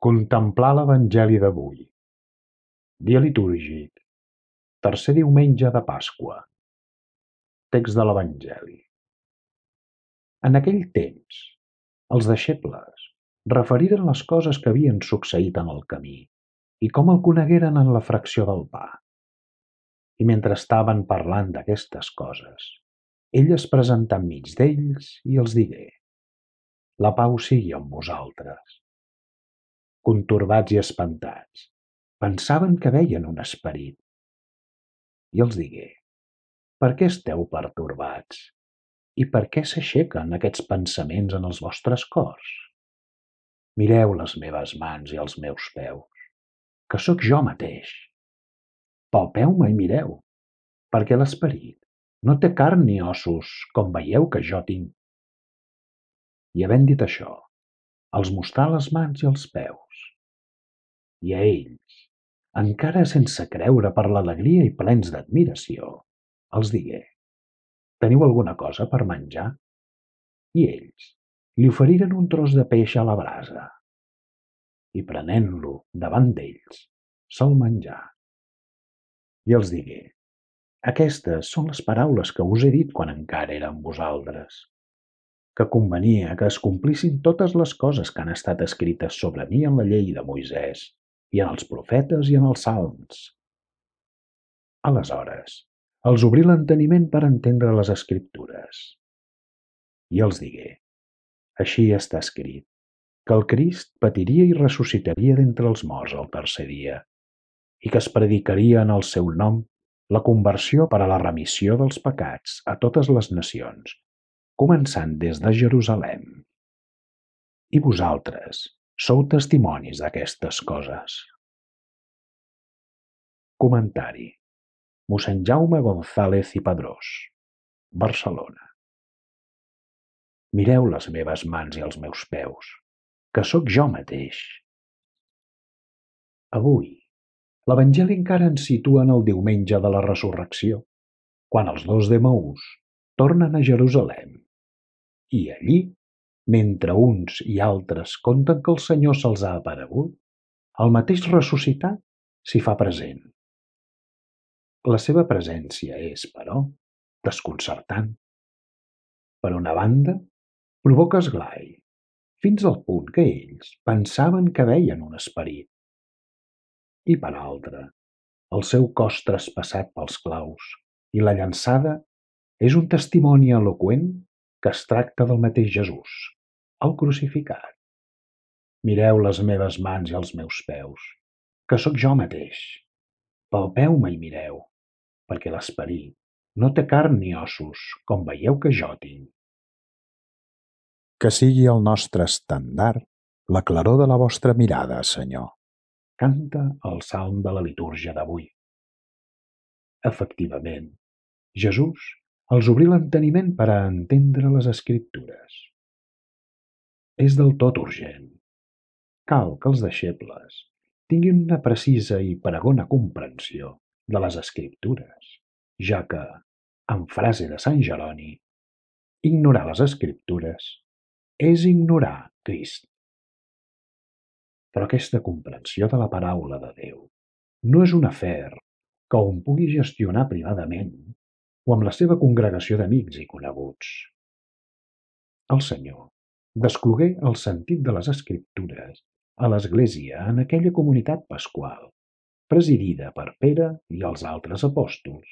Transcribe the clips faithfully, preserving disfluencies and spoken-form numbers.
Contemplar l'Evangeli d'avui. Dia litúrgic. Tercer diumenge de Pasqua. Text de l'Evangeli. En aquell temps, els deixebles referiren les coses que havien succeït en el camí i com el conegueren en la fracció del pa. I mentre estaven parlant d'aquestes coses, ell es presentà enmig d'ells i els digué: La pau sigui amb vosaltres. Contorbats i espantats, pensaven que veien un esperit. I els digué: Per què esteu pertorbats? I per què s'aixequen aquests pensaments en els vostres cors? Mireu les meves mans i els meus peus, que sóc jo mateix. Palpeu-me i mireu, perquè l'esperit no té carn ni ossos, com veieu que jo tinc. I havent dit això, els mostrà les mans i els peus. I a ells, encara sense creure per l'alegria i plens d'admiració, els digué: Teniu alguna cosa per menjar? I ells li oferiren un tros de peix a la brasa. I prenent-lo davant d'ells, se'l menjà. I els digué: Aquestes són les paraules que us he dit quan encara era amb vosaltres, que convenia que es complissin totes les coses que han estat escrites sobre mi en la llei de Moisès, i en els profetes i en els salms. Aleshores, els obrí l'enteniment per entendre les Escriptures. I els digué: Així està escrit, que el Crist patiria i ressuscitaria d'entre els morts el tercer dia, i que es predicaria en el seu nom la conversió per a la remissió dels pecats a totes les nacions, començant des de Jerusalem. I vosaltres sou testimonis d'aquestes coses. Comentari. Mossèn Jaume González i Padrós, Barcelona. Mireu les meves mans i els meus peus, que sóc jo mateix. Avui, l'Evangeli encara ens situa en el diumenge de la resurrecció, quan els dos d'Emaús tornen a Jerusalem. I allí, mentre uns i altres conten que el Senyor se'ls ha aparegut, el mateix ressuscitat s'hi fa present. La seva presència és, però, desconcertant. Per una banda, provoca esglai, fins al punt que ells pensaven que veien un esperit. I per altra, el seu cos traspassat pels claus i la llançada és un testimoni eloqüent que es tracta del mateix Jesús, el crucificat. Mireu les meves mans i els meus peus, que sóc jo mateix. Palpeu-me i mireu, perquè l'esperit no té carn ni ossos, com veieu que jo tinc. Que sigui el nostre estendard la claror de la vostra mirada, Senyor. Canta el salm de la litúrgia d'avui. Efectivament, Jesús els obrí l'enteniment per a entendre les Escriptures. És del tot urgent. Cal que els deixebles tinguin una precisa i pregona comprensió de les Escriptures, ja que, en frase de Sant Jeroni, ignorar les Escriptures és ignorar Crist. Però aquesta comprensió de la paraula de Déu no és un afer que hom pugui gestionar privadament o amb la seva congregació d'amics i coneguts. El Senyor desclogué el sentit de les Escriptures a l'Església en aquella comunitat pasqual, presidida per Pere i els altres apòstols,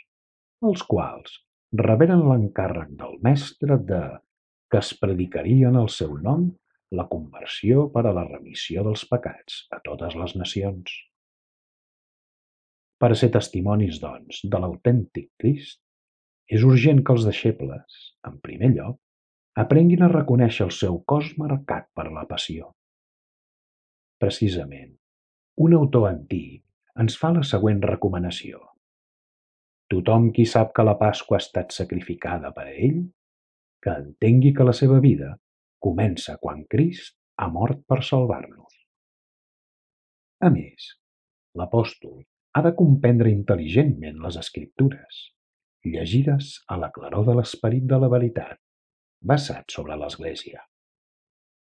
els quals reberen l'encàrrec del Mestre de que es predicaria en el seu nom la conversió per a la remissió dels pecats a totes les nacions. Per a ser testimonis, doncs, de l'autèntic Crist, és urgent que els deixebles, en primer lloc, aprenguin a reconèixer el seu cos marcat per la passió. Precisament, un autor antic ens fa la següent recomanació. Tothom qui sap que la Pasqua ha estat sacrificada per a ell, que entengui que la seva vida comença quan Crist ha mort per salvar-nos. A més, l'apòstol ha de comprendre intel·ligentment les Escriptures, llegides a la claror de l'esperit de la veritat, basat sobre l'Església.